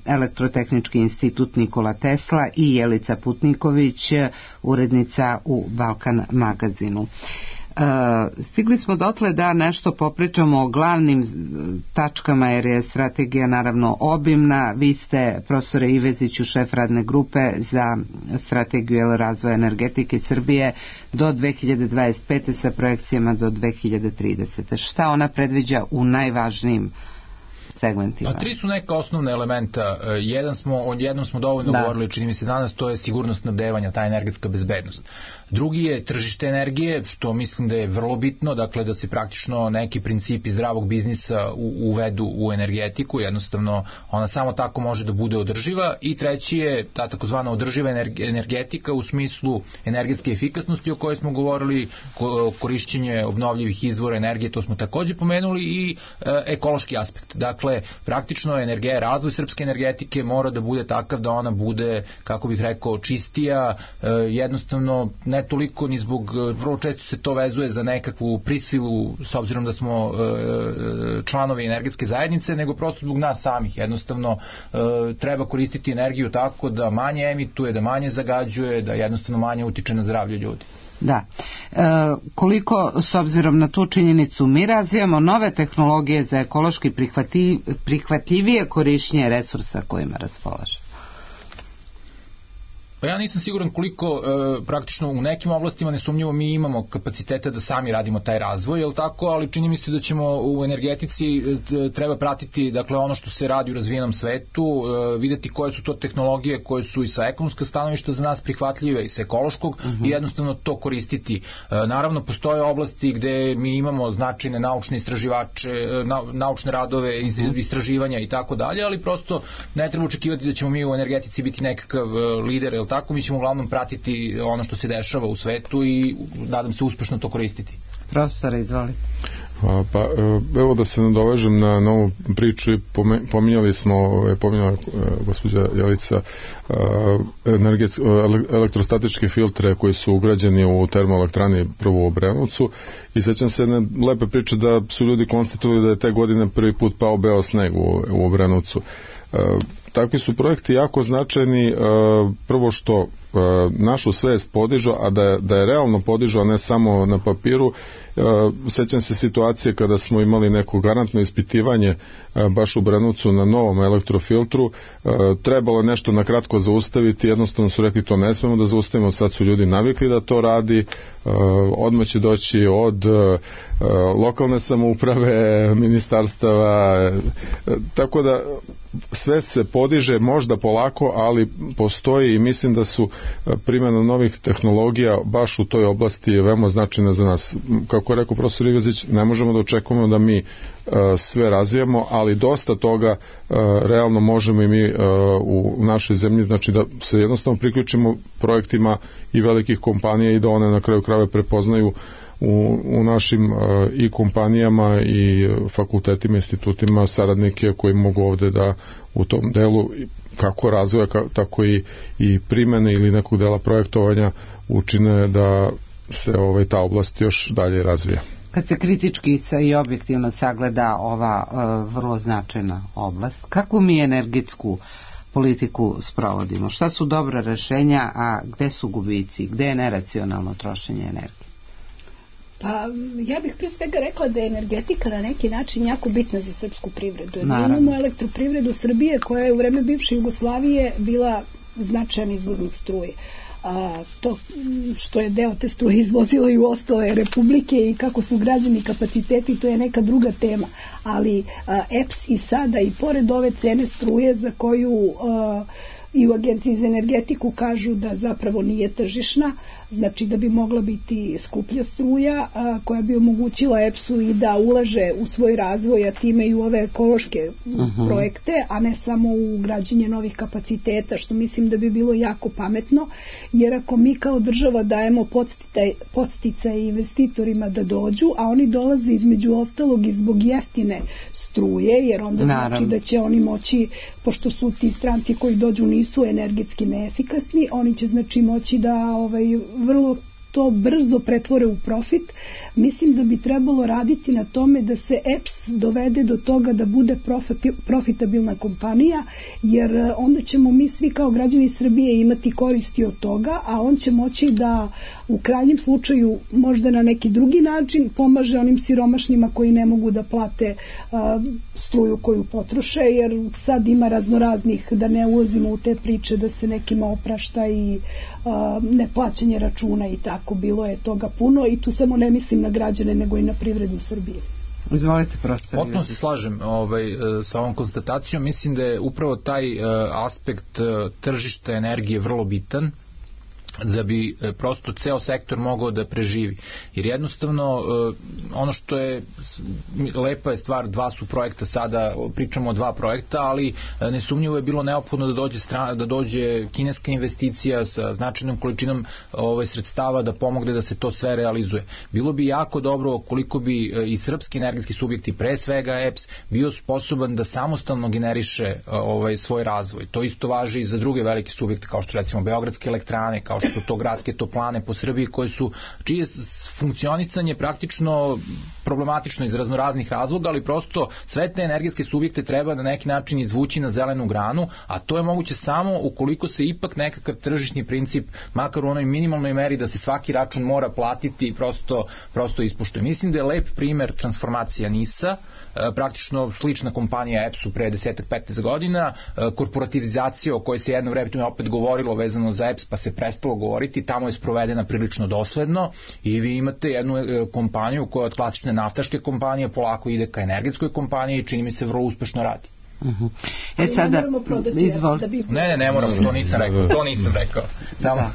Elektrotehnički institut Nikola Tesla i Jelica Putniković, urednica u Balkan magazinu. Stigli smo dotle da nešto popričamo o glavnim tačkama, jer je strategija naravno obimna. Vi ste, profesore Iveziću, šef radne grupe za strategiju razvoja energetike Srbije do 2025. sa projekcijama do 2030. Šta ona predviđa u najvažnijim segmentima? Tri su neka osnovna elementa. Jednom smo dovoljno govorili, čini mi se danas, to je sigurnost snabdevanja, ta energetska bezbednost. Drugi je tržište energije, što mislim da je vrlo bitno, dakle da se praktično neki principi zdravog biznisa uvedu u energetiku, jednostavno ona samo tako može da bude održiva. I treći je ta takozvana održiva energetika u smislu energetske efikasnosti o kojoj smo govorili, korišćenje obnovljivih izvora energije, to smo takođe pomenuli, i ekološki aspekt. Dakle, praktično razvoj srpske energetike mora da bude takav da ona bude, kako bih rekao, čistija, jednostavno ne toliko ni zbog, vrlo često se to vezuje za nekakvu prisilu s obzirom da smo članovi energetske zajednice, nego prosto zbog nas samih. Jednostavno treba koristiti energiju tako da manje emituje, da manje zagađuje, da jednostavno manje utiče na zdravlje ljudi. Da. Koliko, s obzirom na tu činjenicu, mi razvijamo nove tehnologije za ekološki prihvatljivije korišćenje resursa kojima raspolaže? Pa ja nisam siguran koliko praktično u nekim oblastima nesumnjivo mi imamo kapacitete da sami radimo taj razvoj, je li tako, ali čini mi se da ćemo u energetici treba pratiti, dakle, ono što se radi u razvijenom svetu, videti koje su to tehnologije koje su i sa ekonomskog stanovišta za nas prihvatljive i sa ekološkog i jednostavno to koristiti. Naravno, postoje oblasti gde mi imamo značajne naučne istraživače, naučne radove, istraživanja i tako dalje, ali prosto ne treba očekivati da ćemo mi u energetici biti nekakav lider, tako, mi ćemo uglavnom pratiti ono što se dešava u svetu i nadam se uspešno to koristiti. Profesore, izvoli. Pa evo da se nadovežem na novu priču i pominjala gospođa Jelica elektrostatičke filtre koji su ugrađeni u termoelektrani prvo u Obrenovcu, i sećam se jedne lepe priče da su ljudi konstatovali da je te godine prvi put pao beo sneg u Obrenovcu. Takvi su projekti jako značajni, prvo što našu svest podižu, a da je realno podižu, a ne samo na papiru. Sećam se situacije kada smo imali neko garantno ispitivanje baš u Brenovcu na novom elektrofiltru, trebalo nešto na kratko zaustaviti, jednostavno su rekli to ne smemo da zaustavimo, sad su ljudi navikli da to radi, odmah će doći od lokalne samouprave, ministarstava, tako da svest se podiže, možda polako, ali postoji, i mislim da su primjena novih tehnologija baš u toj oblasti veoma značajna za nas. Kako je rekao profesor Ivezić, ne možemo da očekujemo da mi sve razvijamo, ali dosta toga realno možemo i mi u našoj zemlji, znači da se jednostavno priključimo projektima i velikih kompanija i da one na kraju krajeva prepoznaju u našim i kompanijama i fakultetima, institutima saradnike koji mogu ovde da u tom delu kako razvoja, tako i primene ili nekog dela projektovanja učine da se ta oblast još dalje razvija. Kad se kritički i objektivno sagleda ova vrlo značajna oblast, kakvu mi energetsku politiku sprovodimo? Šta su dobra rešenja, a gde su gubici? Gde je neracionalno trošenje energije? Pa ja bih pre svega rekla da je energetika na neki način jako bitna za srpsku privredu. Mi imamo elektroprivredu Srbije koja je u vreme bivše Jugoslavije bila značajan izvoznik struje. To što je deo te struje izvozilo i u ostale republike i kako su građeni kapaciteti, to je neka druga tema. Ali EPS i sada i pored ove cene struje za koju i u Agenciji za energetiku kažu da zapravo nije tržišna, znači da bi mogla biti skuplja struja, koja bi omogućila EPS-u i da ulaže u svoj razvoj, a time i u ove ekološke projekte, a ne samo u građenje novih kapaciteta, što mislim da bi bilo jako pametno, jer ako mi kao država dajemo podsticaje investitorima da dođu, a oni dolaze između ostalog i zbog jeftine struje, jer onda znači da će oni moći, pošto su ti stranci koji dođu nisu energetski neefikasni, oni će znači moći da vrlo to brzo pretvore u profit. Mislim da bi trebalo raditi na tome da se EPS dovede do toga da bude profitabilna kompanija, jer onda ćemo mi svi kao građani Srbije imati koristi od toga, a on će moći da u krajnjem slučaju možda na neki drugi način pomaže onim siromašnima koji ne mogu da plate struju koju potroše, jer sad ima raznoraznih, da ne ulazimo u te priče da se nekima oprašta i neplaćanje računa i tako, bilo je toga puno i tu samo ne mislim na građane nego i na privredu Srbije. Izvolite, profesor. Potpuno se slažem sa ovom konstatacijom. Mislim da je upravo taj aspekt tržišta energije vrlo bitan da bi prosto ceo sektor mogao da preživi. Jer jednostavno ono što je lepa je stvar, dva su projekta sada, pričamo o dva projekta, ali nesumnjivo je bilo neophodno da dođe kineska investicija sa značajnom količinom sredstava da pomogne da se to sve realizuje. Bilo bi jako dobro koliko bi i srpski energetski subjekti, pre svega EPS, bio sposoban da samostalno generiše svoj razvoj. To isto važi i za druge velike subjekte kao što recimo Beogradske elektrane, kao što su to gradske toplane po Srbiji, čije funkcionisanje praktično problematično iz raznoraznih razloga, ali prosto sve te energetske subjekte treba na neki način izvući na zelenu granu, a to je moguće samo ukoliko se ipak nekakav tržišni princip, makar u onoj minimalnoj meri da se svaki račun mora platiti, prosto ispoštuje. Mislim da je lep primer transformacija NIS-a, praktično slična kompanija EPS-u pre 10-15 godina, korporativizacija o kojoj se jedno vreme opet govorilo vezano za EPS, pa se prestalo govoriti, tamo je sprovedena prilično dosledno i vi imate jednu kompaniju koja od klasične naftaške kompanije polako ide ka energetskoj kompaniji i čini mi se vrlo uspešno radi. Sada, izvolite. Ne moramo, to nisam rekao. Samo...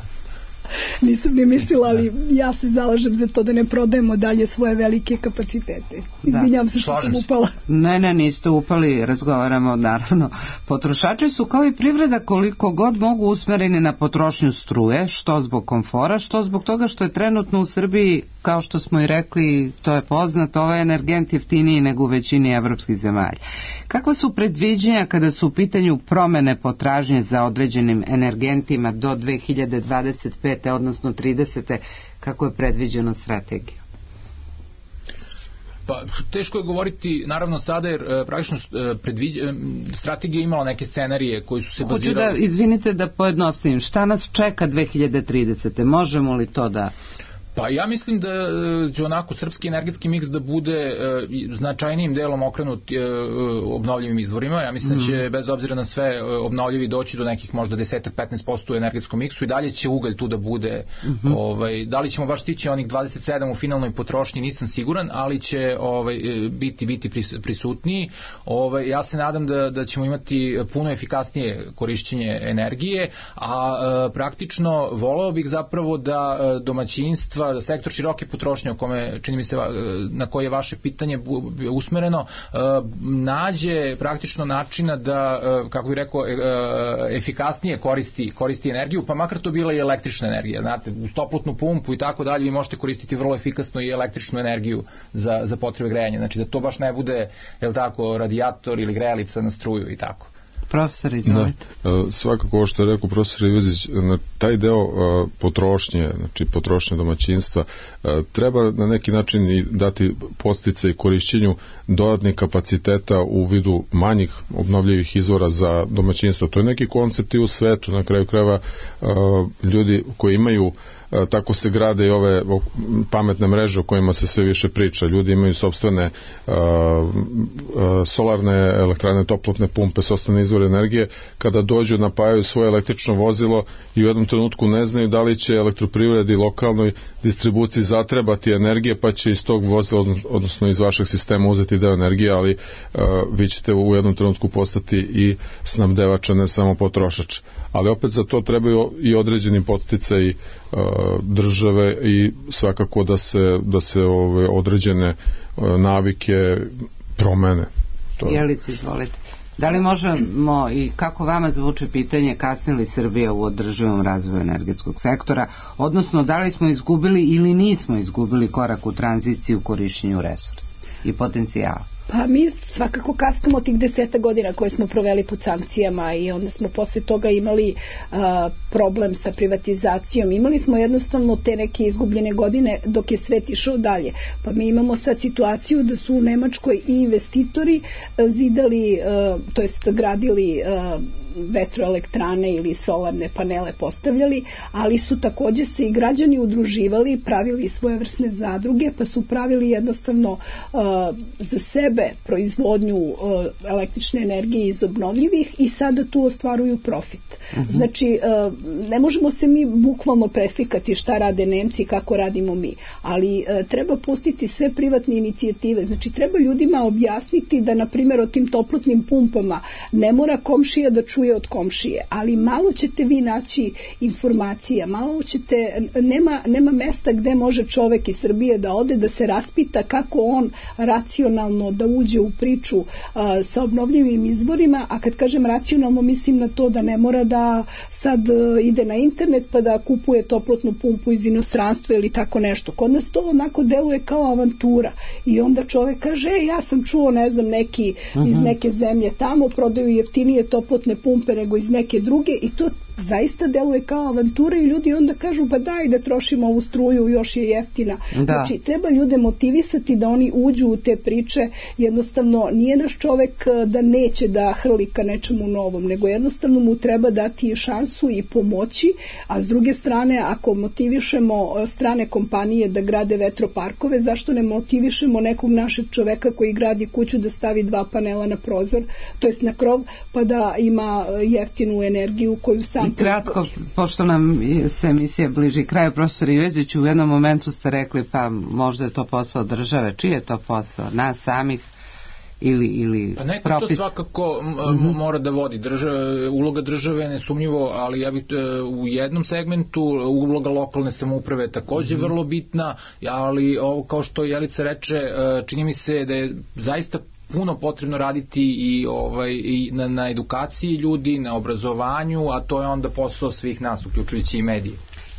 Nisam ni mislila, ali ja se zalažem za to da ne prodajemo dalje svoje velike kapacitete. Izvinjavam se što sam upala. Ne, niste upali, razgovaramo naravno. Potrošači su kao i privreda koliko god mogu usmereni na potrošnju struje, što zbog komfora, što zbog toga što je trenutno u Srbiji, kao što smo i rekli, to je poznato, ovaj energent jeftiniji nego u većini evropskih zemalja. Kakva su predviđenja kada su u pitanju promene potražnje za određenim energentima do 2025. odnosno 30. kako je predviđeno strategiju? Pa, teško je govoriti, naravno sada, jer praktično strategija imala neke scenarije koji su se bazirali... Izvinite da pojednostavim, šta nas čeka 2030. Možemo li to da... Pa ja mislim da će onako srpski energetski miks da bude značajnijim delom okrenut obnovljivim izvorima. Ja mislim da će bez obzira na sve obnovljivi doći do nekih možda 10-15% u energetskom miksu i dalje će ugalj tu da bude. Da li ćemo baš stići onih 27 u finalnoj potrošnji nisam siguran, ali će biti prisutniji. Ja se nadam da ćemo imati puno efikasnije korišćenje energije, a praktično voleo bih zapravo da domaćinstva, da sektor široke potrošnje, o kome čini mi se na koje je vaše pitanje usmereno, nađe praktično načina da, kako bih rekao, efikasnije koristi energiju, pa makar to bila i električna energija. Znate, uz toplotnu pumpu i tako dalje vi možete koristiti vrlo efikasno i električnu energiju za potrebe grejanja. Znači da to baš ne bude, radijator ili grejalica na struju i tako. Profesor, izvolite. Svakako ovo što je rekao profesor Ivezić, na taj deo potrošnje, znači potrošnje domaćinstva, treba na neki način i dati podsticaje korišćenju dodatnih kapaciteta u vidu manjih obnovljivih izvora za domaćinstva. To je neki koncept i u svetu, na kraju krajeva ljudi koji imaju, tako se grade i ove pametne mreže o kojima se sve više priča. Ljudi imaju sopstvene solarne elektrane, toplotne pumpe, sopstvene izvore izvor energije, kada dođu, napajaju svoje električno vozilo i u jednom trenutku ne znaju da li će elektroprivredi lokalnoj distribuciji zatrebati energije, pa će iz tog vozila, odnosno iz vašeg sistema uzeti deo energije, ali vi ćete u jednom trenutku postati i snabdevač, a ne samo potrošač. Ali opet za to trebaju i određeni podsticaji države i svakako da se određene navike promene. Jelice, izvolite. Da li možemo i kako vama zvuči pitanje kasni li Srbija u održivom razvoju energetskog sektora, odnosno da li smo izgubili ili nismo izgubili korak u tranziciji u korišćenju resursa i potencijala? Pa mi svakako kaskamo tih 10 godina koje smo proveli pod sankcijama i onda smo posle toga imali problem sa privatizacijom. Imali smo jednostavno te neke izgubljene godine dok je svet išao dalje. Pa mi imamo sad situaciju da su u Nemačkoj i investitori zidali, to jest gradili vetroelektrane ili solarne panele postavljali, ali su takođe se i građani udruživali, pravili svojevrsne zadruge, pa su pravili jednostavno za sebe proizvodnju električne energije iz obnovljivih i sada tu ostvaruju profit. Znači, ne možemo se mi bukvalno preslikati šta rade Nemci i kako radimo mi, ali treba pustiti sve privatne inicijative. Znači, treba ljudima objasniti da, na primjer, o tim toplotnim pumpama ne mora komšija da čuje od komšije, ali malo ćete vi naći informacija, malo ćete, nema mesta gde može čovek iz Srbije da ode da se raspita kako on racionalno da uđe u priču sa obnovljivim izvorima, a kad kažem racionalno mislim na to da ne mora da sad ide na internet pa da kupuje toplotnu pumpu iz inostranstva ili tako nešto. Kod nas to onako deluje kao avantura i onda čovek kaže, ja sam čuo, ne znam, neki iz neke zemlje tamo prodaju jeftinije toplotne pumpe nego iz neke druge i to zaista deluje kao avantura i ljudi onda kažu pa daj da trošimo ovu struju, još je jeftina. Znači, treba ljude motivisati da oni uđu u te priče, jednostavno nije naš čovek da neće da hrli ka nečemu novom, nego jednostavno mu treba dati šansu i pomoći, a s druge strane, ako motivišemo strane kompanije da grade vetroparkove, zašto ne motivišemo nekog našeg čoveka koji gradi kuću da stavi 2 panela na prozor, to jest na krov, pa da ima jeftinu energiju koju sam kratko, pošto nam se emisija bliži kraju, profesor Ivezić, u jednom momentu ste rekli pa možda je to posao države. Čiji je to posao? Nas samih ili pa neko propis? To svakako mora da vodi. Uloga države je nesumnjivo, ali ja bih u jednom segmentu uloga lokalne samouprave je takođe vrlo bitna, ali ovo, kao što Jelica reče, čini mi se da je zaista puno potrebno raditi i na edukaciji ljudi, na obrazovanju, a to je onda posao svih nas, uključujući i medije.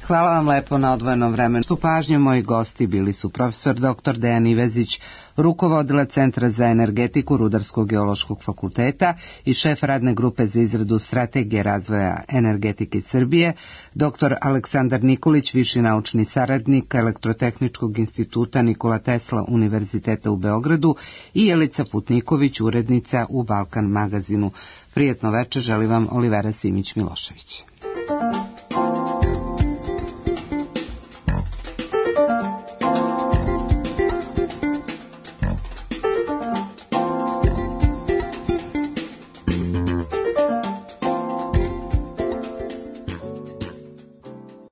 Hvala vam lepo na odvojenom vremenu. U pažnju moji gosti bili su profesor dr. Dejan Ivezić, rukovodilac Centra za energetiku Rudarsko-geološkog fakulteta i šef radne grupe za izradu strategije razvoja energetike Srbije, dr. Aleksandar Nikolić, viši naučni saradnik Elektrotehničkog instituta Nikola Tesla Univerziteta u Beogradu i Jelica Putniković, urednica u Balkan magazinu. Prijetno večer želi vam Olivera Simić-Milošević.